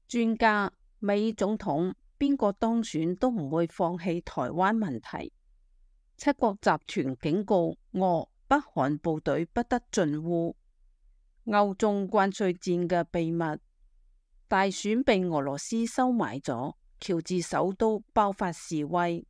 專家，美總統邊個當選都唔會放棄台灣問題。七國集團警告俄、北韓部隊不得進烏。歐中關稅戰嘅秘密，大選被俄羅斯收買咗，喬治首都爆發示威。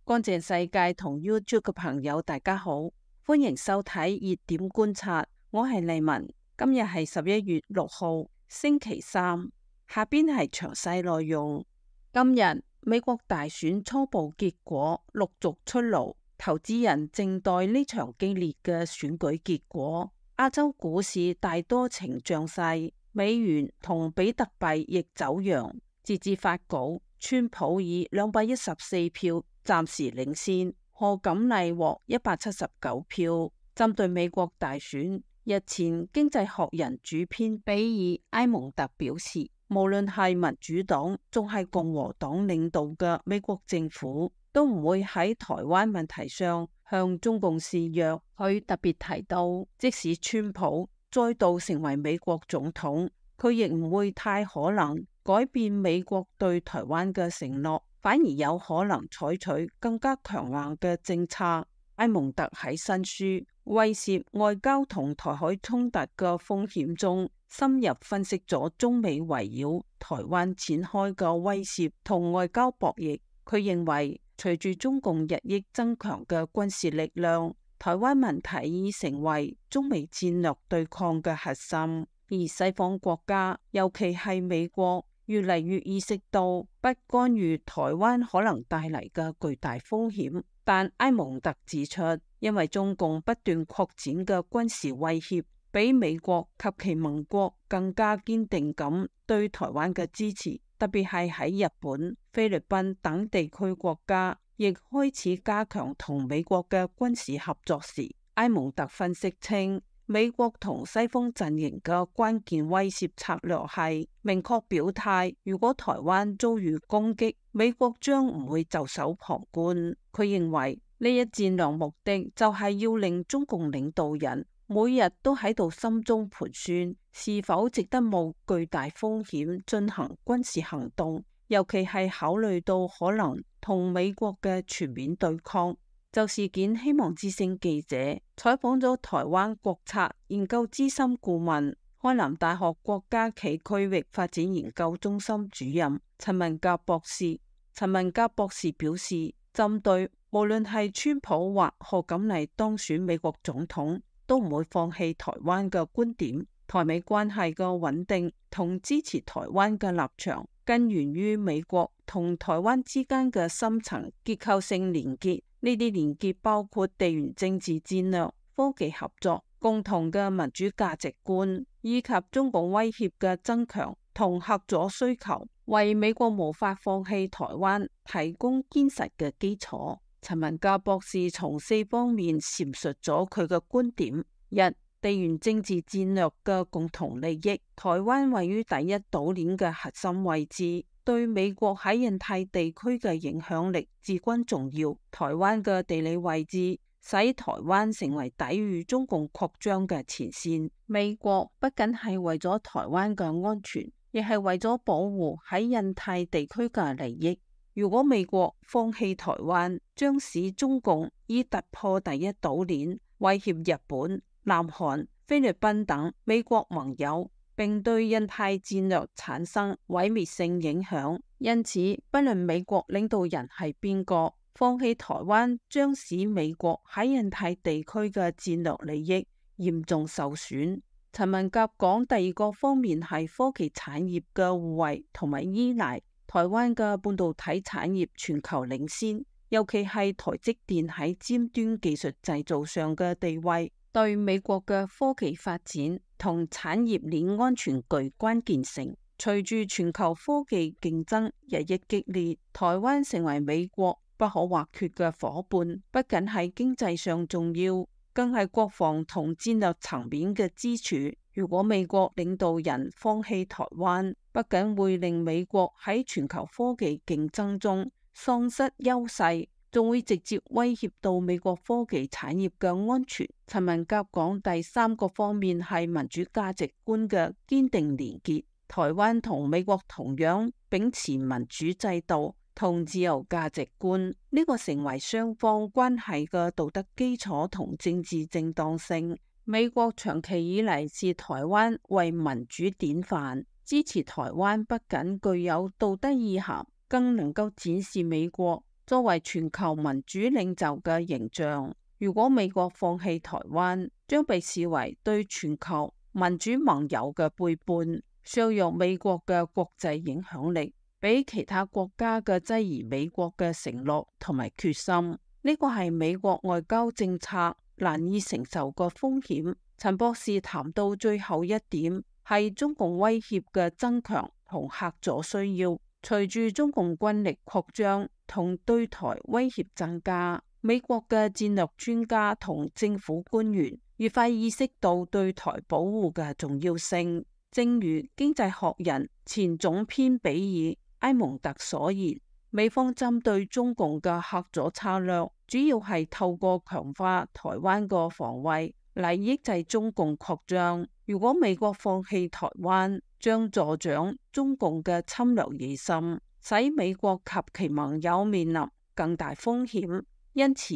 乾淨世界同 YouTube 嘅朋友大家好，歡迎收睇熱點觀察，我係麗文。今日係11月6號星期三，下邊係詳細內容。今日美國大選初步結果陸續出爐，投資人靜待呢場激烈嘅選舉結果。亞洲股市大多呈漲勢，美元同比特幣亦走揚。截至發稿，川普以214票暫時領先，賀錦麗獲179票。針對美國大選，日前經濟學人主編比爾埃蒙特表示，無論係民主黨仲係共和黨領導嘅美國政府，都唔會喺台灣問題上向中共示弱。佢特別提到，即使川普再度成為美國總統，佢亦唔會太可能改變美國對台灣嘅承諾，反而有可能採取更加強硬嘅政策。埃蒙特喺新書《威懾外交同台海衝突嘅風險》中，深入分析咗中美圍繞台灣展開嘅威懾同外交博弈。佢認為，隨住中共日益增強嘅軍事力量，台灣問題已成為中美戰略對抗嘅核心，而西方國家，尤其係美國，越嚟越意識到不干預台灣可能帶嚟嘅巨大風險。但埃蒙特指出，因為中共不斷擴展嘅軍事威脅，比美國及其盟國更加堅定咁對台灣嘅支持，特別係喺日本、菲律賓等地區國家亦開始加強同美國嘅軍事合作時，埃蒙特分析稱，美國同西方陣營嘅關鍵威懾策略係明確表態，如果台灣遭遇攻擊，美國將唔會袖手旁觀。佢認為呢一戰略目的就係要令中共領導人每日都喺度心中盤算，是否值得冒巨大風險進行軍事行動，尤其係考慮到可能同美國嘅全面對抗。就事件，希望之聲記者採訪咗台灣國策研究資深顧問、開南大學國家暨區域發展研究中心主任陳文甲博士。陳文甲博士表示，針對無論係川普或賀錦麗當選美國總統，都唔會放棄台灣嘅觀點。台美關係嘅穩定同支持台灣嘅立場，根源於美國同台灣之間嘅深層結構性連結。呢啲連結包括地緣政治戰略、科技合作、共同嘅民主價值觀，以及中共威脅嘅增強同嚇阻需求，為美國無法放棄台灣提供堅實嘅基礎。陳文甲博士從4方面闡述咗佢嘅觀點：一、地緣政治戰略嘅共同利益，台灣位於第一島鏈嘅核心位置，對美國喺印太地區嘅影響力至關重要。台灣嘅地理位置使台灣成為抵禦中共擴張嘅前線。美國不僅係為咗台灣嘅安全，亦係為咗保護喺印太地區嘅利益。如果美國放棄台灣，將使中共以突破第一島鏈，威脅日本、南韓、菲律賓等美國盟友，並對印太戰略產生毀滅性影響。因此，不論美國領導人係邊個，放棄台灣將使美國喺印太地區嘅戰略利益嚴重受損。陳文甲講，第二個方面係科技產業嘅互惠同埋依賴。台灣嘅半導體產業全球領先，尤其係台積電喺尖端技術製造上嘅地位，對美國嘅科技發展同產業鏈安全具關鍵性。隨住全球科技競爭日益激烈，台灣成為美國不可或缺嘅夥伴，不僅係經濟上重要，更係國防同戰略層面嘅支柱。如果美國領導人放棄台灣，不僅會令美國喺全球科技競爭中喪失優勢，仲會直接威脅到美國科技產業嘅安全。陳文甲講，第三個方面係民主價值觀嘅堅定連結。台灣同美國同樣秉持民主制度同自由價值觀，呢個成為雙方關係嘅道德基礎同政治正當性。美國長期以嚟視台灣為民主典範，支持台灣不僅具有道德意涵，更能夠展示美國作為全球民主領袖嘅形象。如果美國放棄台灣，將被視為對全球民主盟友嘅背叛，削弱美國嘅國際影響力，比其他國家嘅質疑美國嘅承諾同埋決心。呢個係美國外交政策難以承受嘅風險。陳博士談到最後一點係中共威脅嘅增強同嚇阻需要。隨住中共軍力擴張同對台威脅增加，美國嘅戰略專家同政府官員越快意識到對台保護嘅重要性。正如經濟學人前總編比爾埃蒙特所言，美方針對中共嘅嚇阻策略，主要係透過強化台灣個防衛嚟抑制中共擴張。如果美國放棄台灣，將助長中共嘅侵略野心，使美國及其盟友面臨更大風險。因此，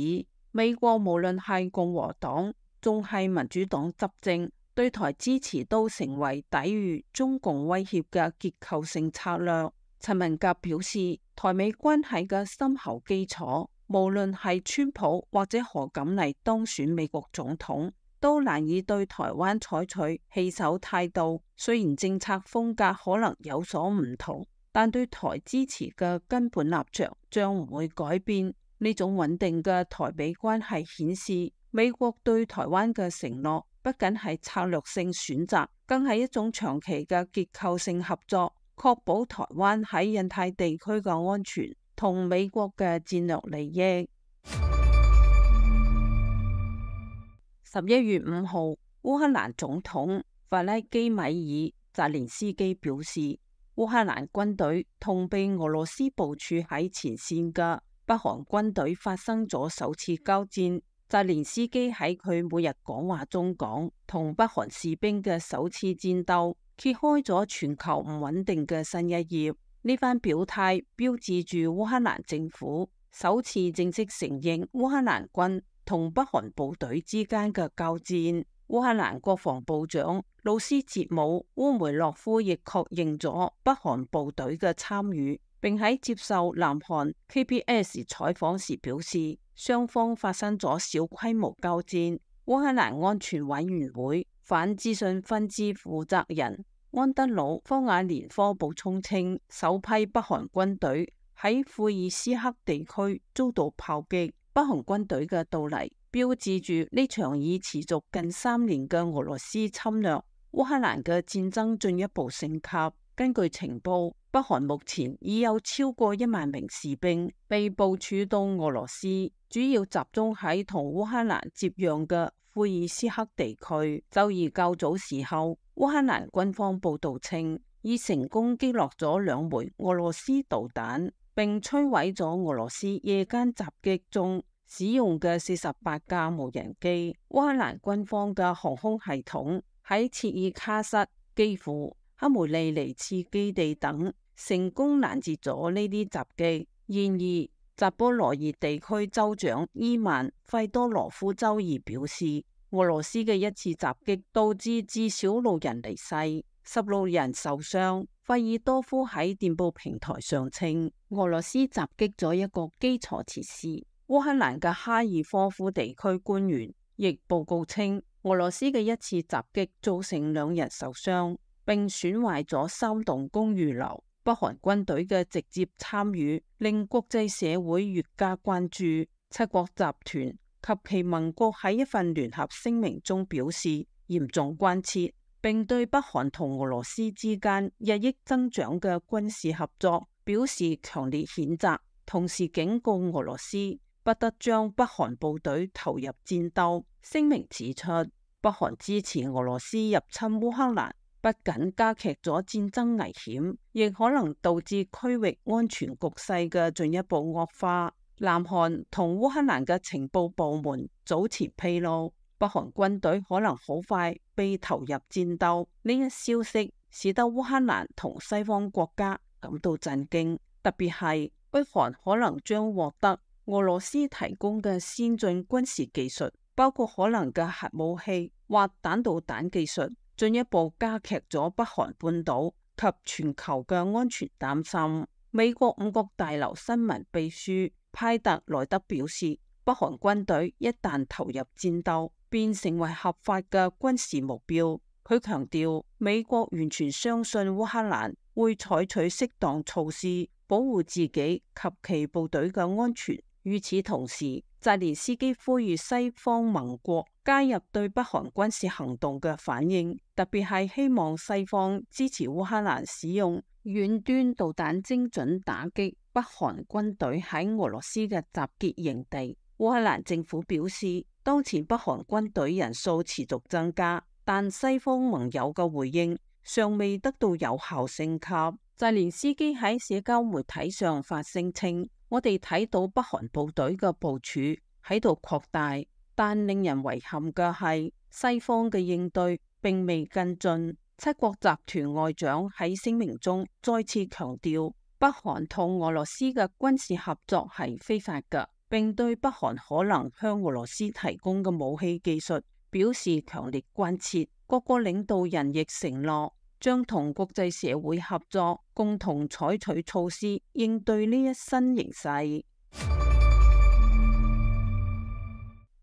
美國無論係共和黨仲係民主黨執政，對台支持都成為抵禦中共威脅嘅結構性策略。陳文甲表示，台美關係嘅深厚基礎，無論係川普或者何錦麗當選美國總統，都難以對台灣採取棄守態度。雖然政策風格可能有所唔同，但對台支持嘅根本立場將唔會改變。呢種穩定嘅台美關係顯示，美國對台灣嘅承諾不僅係策略性選擇，更係一種長期嘅結構性合作，確保台灣喺印太地區嘅安全同美國嘅戰略利益。11月5號，烏克蘭總統弗拉基米爾·澤連斯基表示，烏克蘭軍隊同被俄羅斯部署喺前線嘅北韓軍隊發生咗首次交戰。澤連斯基喺佢每日講話中講，同北韓士兵嘅首次戰鬥揭開咗全球唔穩定嘅新一頁。呢番表態標誌住烏克蘭政府首次正式承認烏克蘭軍同北韓部隊之間嘅交戰。烏克蘭國防部長魯斯捷姆烏梅洛夫亦確認咗北韓部隊嘅參與，並喺接受南韓 KBS 採訪時表示，雙方發生咗小規模交戰。烏克蘭安全委員會反資訊分支負責人安德魯科瓦連科補充稱，首批北韓軍隊喺庫爾斯克地區遭到炮擊。北韓軍隊嘅到嚟標誌住呢場已持續近3年嘅俄羅斯侵略，烏克蘭嘅戰爭進一步升級。根據情報，北韓目前已有超過1萬名士兵被部署到俄羅斯，主要集中喺同烏克蘭接壤嘅庫爾斯克地區。周二較早時候，烏克蘭軍方報道稱，已成功擊落咗2枚俄羅斯導彈，並摧毀咗俄羅斯夜間襲擊中使用嘅48架無人機。烏克蘭軍方嘅航空系統喺切爾卡什、基輔、克梅利尼茨基地等成功攔截咗呢啲襲擊。然而，扎波羅熱地區州長伊萬費多羅夫周二表示，俄羅斯嘅一次襲擊導致至少6人離世，16人受傷。費爾多夫喺電報平台上稱，俄羅斯襲擊咗一個基礎設施。烏克蘭嘅哈爾科夫地區官員亦報告稱，俄羅斯嘅一次襲擊造成2人受傷，並損壞咗3棟公寓樓。北韓軍隊嘅直接參與令國際社會越加關注。7國集團及其盟國喺一份聯合聲明中表示嚴重關切，並對北韓同俄羅斯之間日益增長嘅軍事合作表示強烈譴責，同時警告俄羅斯不得將北韓部隊投入戰鬥。聲明指出，北韓支持俄羅斯入侵烏克蘭，不僅加劇咗戰爭危險，亦可能導致區域安全局勢嘅進一步惡化。南韓同烏克蘭嘅情報部門早前披露，北韓軍隊可能好快被投入戰鬥。呢一消息使得烏克蘭同西方國家感到震驚，特別係北韓可能將獲得俄羅斯提供嘅先進軍事技術，包括可能嘅核武器或彈道彈技術，進一步加劇咗北韓半島及全球嘅安全擔心。美國五角大樓新聞秘書派特萊德表示，北韓軍隊一旦投入戰鬥，便成為合法嘅軍事目標。佢強調，美國完全相信烏克蘭會採取適當措施保護自己及其部隊嘅安全。與此同時，澤連斯基呼籲西方盟國加入對北韓軍事行動嘅反應，特別係希望西方支持烏克蘭使用遠端導彈精準打擊北韓軍隊喺俄羅斯嘅集結營地。烏克蘭政府表示，當前北韓軍隊人數持續增加，但西方盟友嘅回應尚未得到有效升級。澤連斯基喺社交媒體上發聲稱，我哋睇到北韓部隊嘅部署喺度擴大，但令人遺憾嘅係西方嘅應對並未跟進。七國集團外長喺聲明中再次強調，北韓同俄羅斯嘅軍事合作係非法嘅，並對北韓可能向俄羅斯提供嘅武器技術表示強烈關切。各個領導人亦承諾將同國際社會合作，共同採取措施應對呢一新形勢。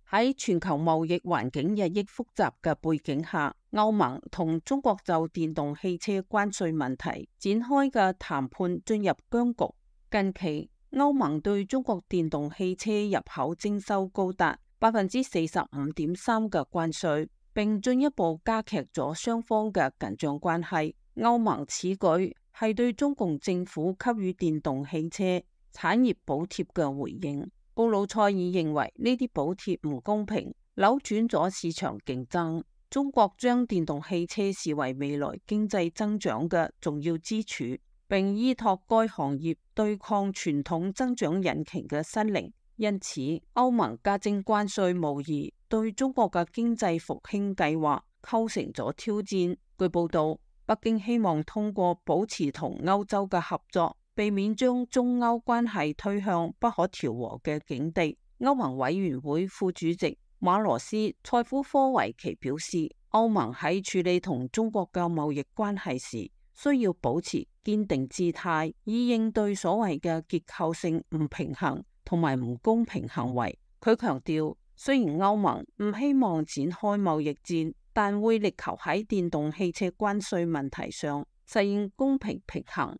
喺全球貿易環境日益複雜嘅背景下，歐盟同中國就電動汽車關稅問題展開嘅談判進入僵局。近期，歐盟對中國電動汽車入口徵收高達45.3%嘅關稅，並進一步加劇咗雙方嘅緊張關係。歐盟此舉係對中共政府給予電動汽車產業補貼嘅回應。布魯塞爾認為呢啲補貼唔公平，扭轉咗市場競爭。中國將電動汽車視為未來經濟增長嘅重要支柱，並依託該行業對抗傳統增長引擎嘅失靈。因此，歐盟加徵關稅無疑對中國嘅經濟復興計劃構成咗挑戰。據報道，北京希望通過保持同歐洲嘅合作，避免將中歐關係推向不可調和嘅境地。歐盟委員會副主席馬羅斯塞夫科維奇表示，歐盟喺處理同中國嘅貿易關係時，需要保持堅定姿態，以應對所謂嘅結構性唔平衡同埋唔公平行為。佢強調，雖然歐盟唔希望展開貿易戰，但會力求喺電動汽車關稅問題上實現公平平衡。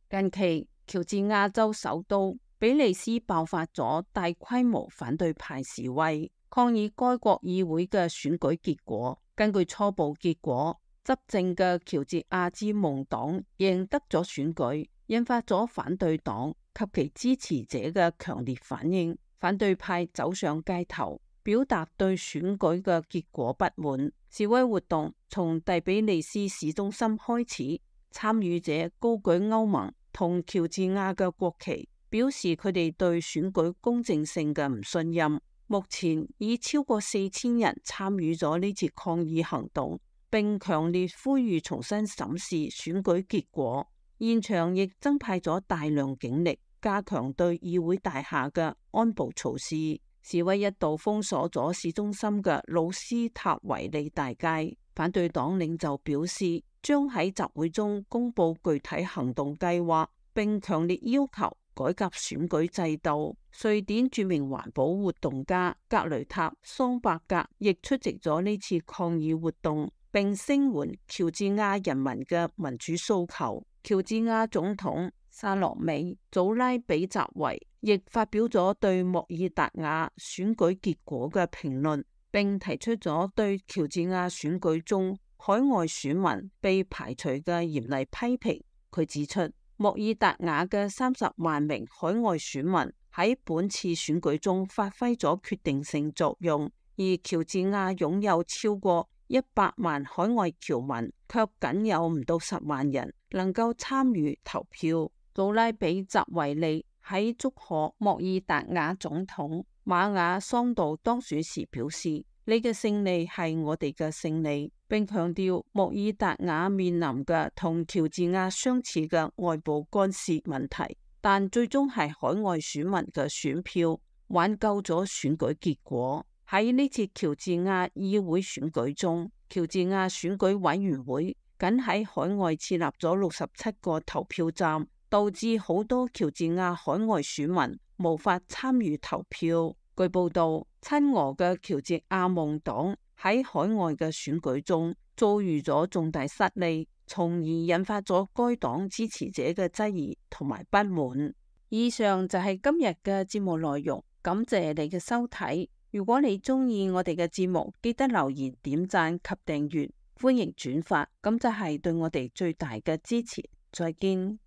近期，喬治亞州首都比利斯爆發咗大規模反對派示威，抗議該國議會嘅選舉結果。根據初步結果，執政嘅喬治亞之夢黨贏得咗選舉，引發咗反對黨及其支持者嘅強烈反應。反對派走上街頭，表達對選舉嘅結果不滿。示威活動從第比利斯市中心開始，參與者高舉歐盟同喬治亞嘅國旗，表示佢哋對選舉公正性嘅唔信任。目前已超過4000人參與咗呢次抗議行動，並強烈呼籲重新審視選舉結果。現場亦增派咗大量警力，加強對議會大廈嘅安保措施。示威一度封鎖咗市中心嘅魯斯塔維利大街。反對黨領袖表示，將喺集會中公布具體行動計劃，並強烈要求改革選舉制度。瑞典著名環保活動家格雷塔桑伯格亦出席咗呢次抗議活動，並聲援喬治亞人民嘅民主訴求。喬治亞總統薩洛美祖拉比澤維亦發表咗對莫爾達瓦選舉結果嘅評論，並提出咗對喬治亞選舉中海外選民被排除嘅嚴厲批評。佢指出，莫爾達瓦嘅30萬名海外選民喺本次選舉中發揮咗決定性作用，而喬治亞擁有超過100萬海外僑民，卻僅有唔到10萬人能夠參與投票。杜拉比什維利喺祝賀莫爾達瓦總統馬雅桑杜當選時表示：你嘅勝利係我哋嘅勝利，並強調莫爾達瓦面臨嘅同喬治亞相似嘅外部干涉問題，但最終係海外選民嘅選票挽救咗選舉結果。喺呢次喬治亞議會選舉中，喬治亞選舉委員會僅喺海外設立咗67個投票站，導致好多喬治亞海外選民無法參與投票。據報道，親俄嘅喬治亞夢黨喺海外嘅選舉中遭遇咗重大失利，從而引發咗該黨支持者嘅質疑同埋不滿。以上就係今日嘅節目內容，感謝你嘅收睇。如果你鍾意我哋嘅節目，記得留言、點讚及訂閱，歡迎轉發，咁就係對我哋最大嘅支持。再見。